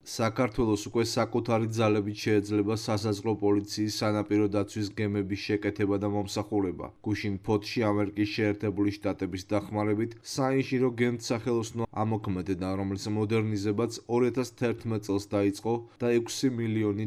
საქართველოს უკვე საკუთარი ძალებით შეეძლება სასაზღვრო პოლიციის სანაპირო დაცვის გემების შეკეთება და მომსახურება. გუშინ ფოთში ამერიკის შეერთებული შტატების დახმარებით საინჟინრო გემთ სახელოსნო ამოქმედება, რომლის მოდერნიზებაც 2011 წელს დაიწყო და $6 მილიონი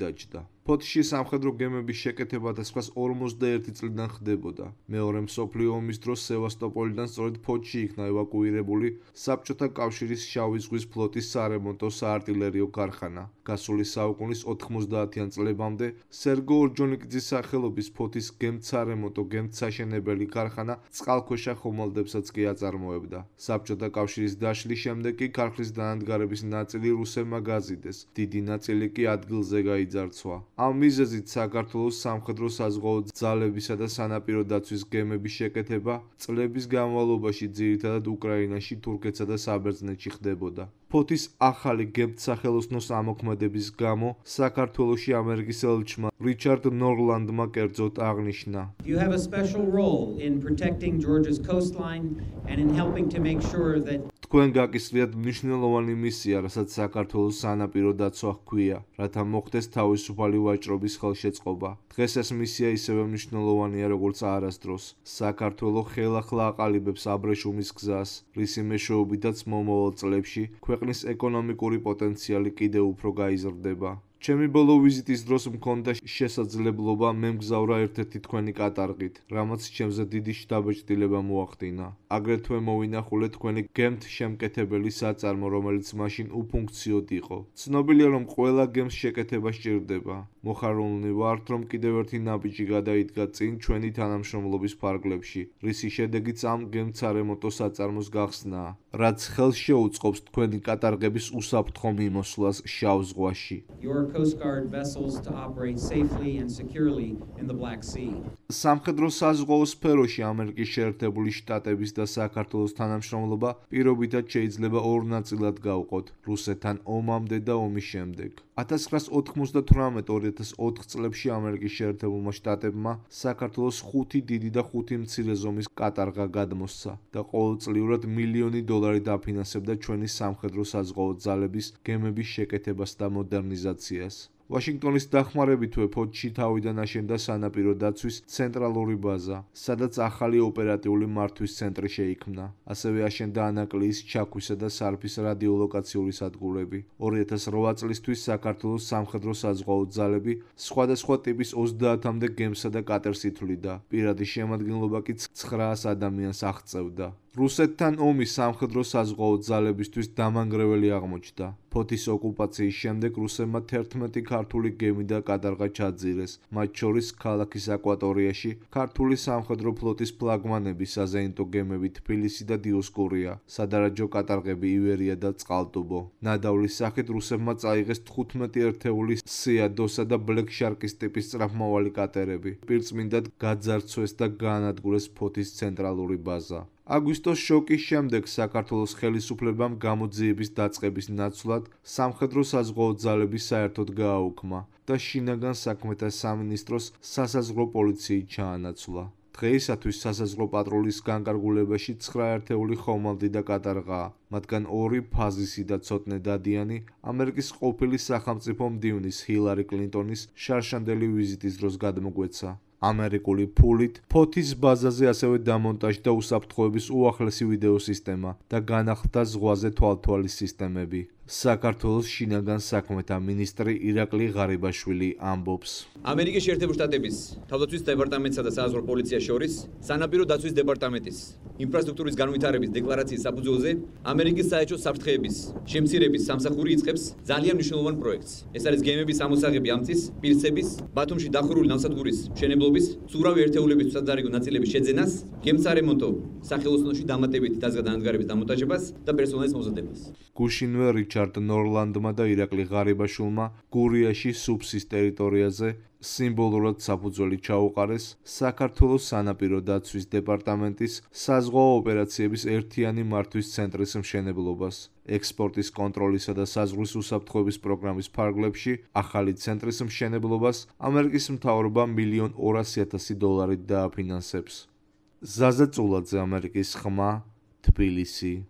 დაჯდა. ფოთში სამხედრო გემების შეკეთება და სხვას 51 წლიდან ხდებოდა. მეორე მსოფლიო ომის დროს სევასტოპოლიდან სწორედ ფოთში იქნა ევაკუირებული საბჭოთა კავშირის შავი ზღვის ფლოტის სარემონტო საარტილერიო ქარხანა. გასული საუკუნის 90-იან წლებამდე სერგო ორჯონიკიძის სახელობის ფოთის გემთ-სარემონტო გემთ-საშენებელი ქარხანა წყალქვეშა ხომალდებსაც კი აწარმოებდა. საბჭოთა კავშირის დაშლის შემდეგ კი ქარხნის დანადგარების ნაწილი რუსებმა გაზიდეს, დიდი ნაწილი კი ადგილზე გაიძარცვა. ამ მიზეზით საქართველოს სამხედრო საზღვაო ძალებისა და სანაპირო დაცვის გემების შეკეთება წლების განმავლობაში ძირითადად უკრაინაში, თურქეთსა და საბერძნეთში ხდებოდა. ფოთის ახალი გემთ-სახელოსნოს ამოქმედების გამო საქართველოში ამერიკის ელჩმა რიჩარდ ნორლანდმა კერძოდ აღნიშნა: You have a special role in protecting Georgia's coastline and in helping to make sure that თქვენ გაკისრიათ მნიშვნელოვანი მისია, რასაც საქართველოს სანაპირო დაცვა ჰქვია, რათა მოხდეს თავისუფალი ვაჭრობის ხელშეწყობა. დღეს ეს მისია ისევე მნიშვნელოვანია, როგორც არასდროს. საქართველო ხელახლა აყალიბებს აბრეშუმის გზას, რისი მეშვეობითაც მომავალ წლებში ქვეყნის ეკონომიკური პოტენციალი კიდევ უფრო გაიზრდება. ჩემი ბოლო ვიზიტის დროს მქონდა შესაძლებლობა მემგზავრა ერთ-ერთი თქვენი კატარღით, რამაც ჩემზე დიდი შთაბეჭდილება მოახდინა. აგრეთვე მოვინახულე თქვენი გემთ-შემკეთებელი საწარმო, რომელიც მაშინ უფუნქციოდ იყო. ცნობილია, რომ ყველა გემს შეკეთება სჭირდება. მოხარულნი ვართ, რომ კიდევ ერთი ნაბიჯი გადაიდგა წინ ჩვენი თანამშრომლობის ფარგლებში, რისი შედეგიც ამ გემთ-სარემონტო საწარმოს გახსნაა, რაც ხელს შეუწყობს თქვენი კატარღების უსაფრთხო მიმოსვლას შავ ზღვაში. Coast Guard vessels to operate safely and securely in the Black Sea. სამხედრო საზღვაო სფეროში ამერიკის შეერთებული შტატების და საქართველოს თანამშრომლობა პირობითად შეიძლება ორ ნაწილად გავყოთ, რუსეთთან ომამდე და ომის შემდეგ. 1998-2004 წლებში ამერიკის შეერთებულმა შტატებმა საქართველოს 5 დიდი და 5 მცირე ზომის კატარღა გადმოსცა და ყოველწლიურად $1 მილიონი დაფინანსებდა ჩვენი სამხედრო საზღვაო ძალების გემების შეკეთებას და მოდერნიზაციას. ვაშინგტონის დახმარებითვე ფოთში თავიდან აშენდა სანაპირო დაცვის ცენტრალური ბაზა, სადაც ახალი ოპერატიული მართვის ცენტრი შეიქმნა. ასევე აშენდა ანაკლიის, ჩაქვისა და სარფის რადიოლოკაციური სადგურები. 2008 წლისთვის საქართველოს სამხედრო საზღვაო ძალები სხვადასხვა ტიპის 30-მდე გემსა და კატერს ითვლიდა. პირადი შემადგენლობა კი 900 ადამიანს აღწევდა. რუსეთთან ომი სამხედრო საზღვაო ძალებისთვის დამანგრეველი აღმოჩნდა. ფოთის ოკუპაციის შემდეგ რუსებმა 11 ქართული გემი და კატარღა ჩაძირეს, მათ შორის ქალაქის აკვატორიაში ქართული სამხედრო ფლოტის ფლაგმანები, საზეინტო გემები თბილისი და დიოსკურია, სადარაჯო კატარღები ივერია და წყალტუბო. ნადავლის სახით რუსებმა წაიღეს 15 ერთეული სიადოსა და ბლეკ შარკის ტიპის სწრაფმავალი კატერები. პირწმინდად გაძარცვეს და გაანადგურეს ფოთის ცენტრალური ბაზა. აგვისტოს შოკის შემდეგ საქართველოს ხელისუფლებამ გამოძიების დაწყების ნაცვლად სამხედრო საზღვაო ძალები საერთოდ გააუქმა და შინაგან საქმეთა სამინისტროს სასაზღვრო პოლიციით ჩაანაცვლა. დღეისათვის სასაზღვრო პატრულის განკარგულებაში 9 ერთეული ხომალდი და კატარღაა, მათგან 2 ფაზისი და ცოტნე დადიანი ამერიკის ყოფილი სახელმწიფო მდივნის ჰილარი კლინტონის შარშანდელი ვიზიტის დროს გადმოგვეცა. ამერიკული ფულით ფოთის ბაზაზე ასევე დამონტაჟდა უსაფრთხოების უახლესი ვიდეო სისტემა და განახლდა ზღვაზე თვალთვალის სისტემები. საქართველოს შინაგან საქმეთა მინისტრი ირაკლი ღარიბაშვილი ამბობს: ამერიკის შეერთებული შტატების თავდაცვის დეპარტამენტსა და საზღვრო პოლიციას შორის სანაპირო დაცვის დეპარტამენტის ინფრასტრუქტურის განვითარების დეკლარაციის საფუძველზე ამერიკის საელჩო საფრთხეების შემცირების სამსახური იწყებს ძალიან მნიშვნელოვან პროექტს. ეს არის გემების ამოსაღები ამწის, პირსების, ბათუმში დახურული ნავსადგურის მშენებლობის, ურავი ერთეულების სადარიგო ნაწილების შეძენას, გემსარემონტო სახელოსნოში დამატებითი დაზგადანადგარების დამონტაჟებას და პერსონალის მომზადებას. გუშინვე რიჩარდ ნორლანდმა და ირაკლი ღარიბაშვილმა გურიაში სუფსის ტერიტორიაზე სიმბოლურად საფუძველი ჩაუყარეს საქართველოს სანაპირო დაცვის დეპარტამენტის საზღვაო ოპერაციების ერთიანი მართვის ცენტრის მშენებლობას. ექსპორტის კონტროლისა და საზღვრის უსაფრთხოების პროგრამის ფარგლებში ახალი ცენტრის მშენებლობას ამერიკის მთავრობა $1,200,000 დააფინანსებს. ზაზა წულაძე, ამერიკის ხმა, თბილისი.